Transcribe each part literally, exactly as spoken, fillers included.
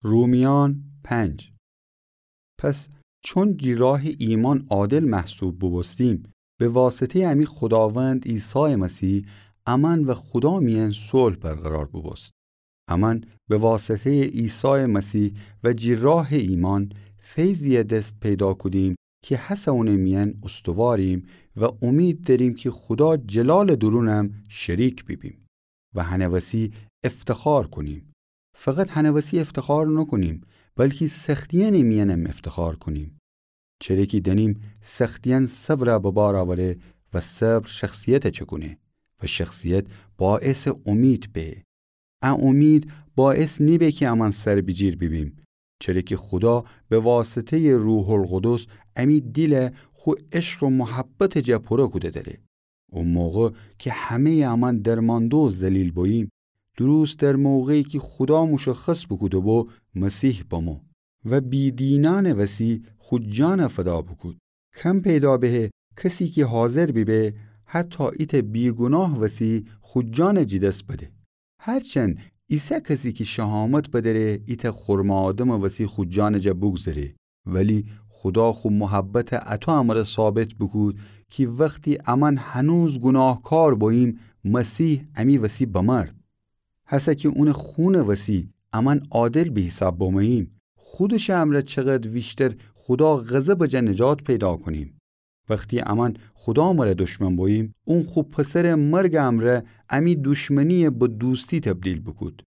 رومیان پنج. پس چون جی راه ایمأن عادل محسوب بوبوستیم، به واسطه‌یٚ امی خوداوند عیسی مسیح امأن و خودا میأن صلح برقرار بوبوست. امأن به واسطه‌یٚ عیسی مسیح و جی راه ایمأن فیضیی دس پیدا کودیم کی هسه اونٚ میأن استواریم و امید دأریم کی خودا جلالٚ دورونم شریک بیبیم و هنٚ وسی افتخار کونیم. فقط هنٚ وسی افتخار نوکونیم، بلکی سختیأنٚ میأنم افتخار کونیم. چره کی دأنیم سختیأن صبر به بار اوره و صبر شخصیت چکونه و شخصیت باعثٚ امید به. ا امید باعث نیبه کی امأن سر بیجیر بیبیم، چره کی خودا به واسطه‌یٚ روح‌القدس امی دیل خو عشق و محبتٚ جا پوره کوده دأره. او موقع کی همه‌یٚ امأن درمانده و ذلیل بوییم، دروست در موقعی کی خودا مشخص بوکوده بو مسیح بمو و بی‌دینأنٚ وسی خو جان فدا بوکود. کم پیدا به کسی کی حاضر بیبه حتی ایتأ بی‌گوناه وسی خو جان جی دس بده. هرچند ایسه کسی کی شهامت بدأره ایتأ خرمٚ آدمٚ وسی خو جان جا بوگذره، ولی خودا خو محبت اطو امره ثابت بوکود کی وختی امأن هنوز گوناهکار بوییم، مسیح امی وسی بمرد. هسه کی اونٚ خونٚ وسی امأن عادل به حساب بموییم، خودشٚ امره چقدر ویشتر خودا غضبٚ جا نجات پیدا کونیم. وختی امأن خودا مره دشمن بوییم، اون خو پسرٚ مرگٚ امره امی دشمنی به دوستی تبدیل بوکود.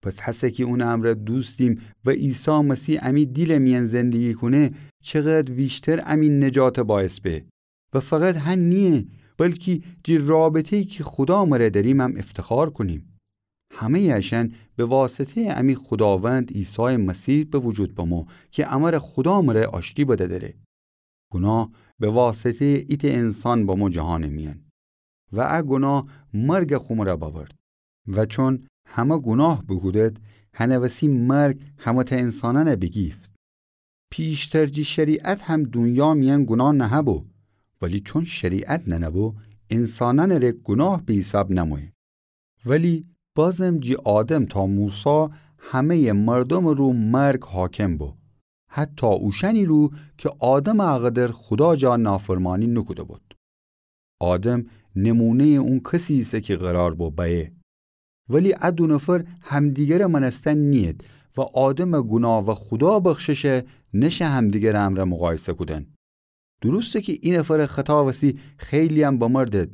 پس هسه کی اونٚ امره دوستیم و عیسی مسیح امی دیلٚ میأن زندگی کونه، چقدر ویشتر امی نجات باعث به. و فقط هن نییه، بلکی جی رابطه‌یی کی خودا مره دأریمم افتخار کونیم. همه‌یٚ اشأن به واسطه‌یٚ امی خوداوند عیسی مسیح به وجود بمو کی امره خودا مره آشتی بده دأره. گوناه به واسطه‌یٚ ایتأ انسان بمو جهانٚ میأن و ا گوناه مرگ خو مره بأورد. و چون همه گوناه بوکودد، هنٚ وسی مرگ همه‌تأ انسانأن بیگیفت. پیشتر جی شریعت هم دونیا میأن گوناه نهه‌بو، ولی چون شریعت ننه‌بو، انسانأنٚ ره گوناه به حساب نمویه. ولی بازم جی آدم تا موسی همه‌یٚ مردومٚ رو مرگ حاکم بو، حتی اوشأنی رو کی آدمٚ اقدر خودا جا نافرمانی نوکوده بود. آدم نمونه‌یٚ اون کسی ایسه کی قرار بو بأیه. ولی ا دو نفر همدیگرٚ مأنستن نیید و آدمٚ گوناه و خودا بخششه نشه همدیگرٚ امرأ مقایسه کودن. درسته کی ای نفرٚ خطا وسی خیلی‌یم بمردد،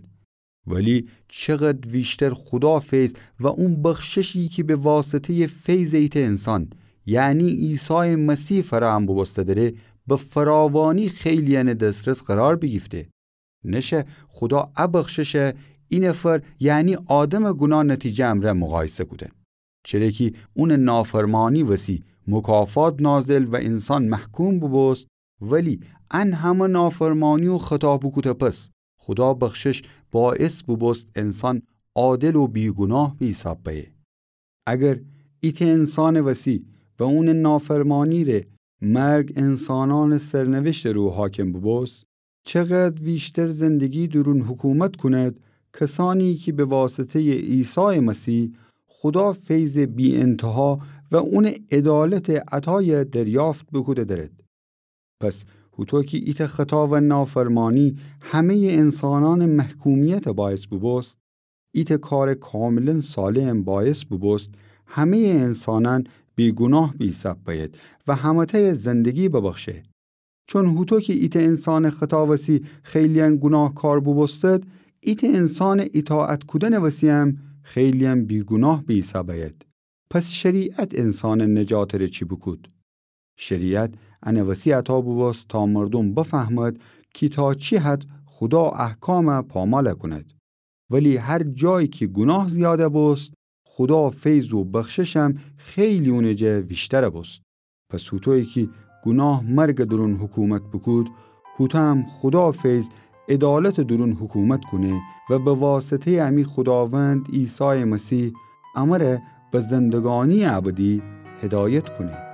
ولی چقدر ویشتر خودا فیض و اون بخششی کی به واسطه‌یٚ فیضٚ ایتأ انسان، یعنی عیسی مسیح فراهم بوبوسته دره، به فراوانی خیلی‌یأنٚ دسترس قرار بیگیفته. نشه خودا ا بخششه ای نفر، یعنی آدمٚ گوناه نتیجه امرأ مقایسه کودن. چره کی اونٚ نافرمانی وسی مکافات نازل و انسان محکوم بوبوست، ولی ان همه نافرمانی و خطا بوکوده پس، خودا بخشش باعث بوبوست انسان عادل و بی‌گوناه به حساب بأیه. اگر ایتأ انسانٚ وسی و اونٚ نافرمانی ره مرگ انسانأنٚ سرنوشتٚ رو حاکم بوبوست، چقدر ویشتر زندگی دورون حکومت کوند کسأنی کی به واسطه‌یٚ عیسی مسیح خودا فیضٚ بی‌انتها و اونٚ عدالتٚ عطای دریافت بوکوده درد. پس هوطو کی ایتأ خطا و نافرمانی همه‌یٚ انسانأنٚ محکومیت باعث بوبوست، ایتأ کارٚ کاملاً صالحم باعث بوبوست همه‌یٚ انسانأن بی‌گوناه به حساب بأید و همه‌تأی زندگی ببخشه. چون هوطو کی ایتأ انسانٚ خطا وسی خیلی‌یأن گوناهکار بوبوستد، ایتأ انسانٚ ایطاعت کودنٚ وسی‌یم خیلی‌یأن بی‌گوناه به حساب بأید. پس شریعت انسانٚ نجاتٚ ره چی بوکود؟ شریعت انٚ وسی عطا بوبوست تا مردوم بفهمد کی تا چی حد خودا احکام پامال کوند. ولی هر جایی کی گوناه زیاد بوست، خودا فیض و بخششم خیلی اونٚ جا ویشتر بوست. پس هوطویی کی گوناه مرگٚ دورون حکومت بوکود، هوطو هم خودا فیض عدالتٚ دورون حکومت کونه و به واسطه‌یٚ امی خوداوند عیسی مسیح امره به زندگانی‌یٚ ابدی هدایت کونه.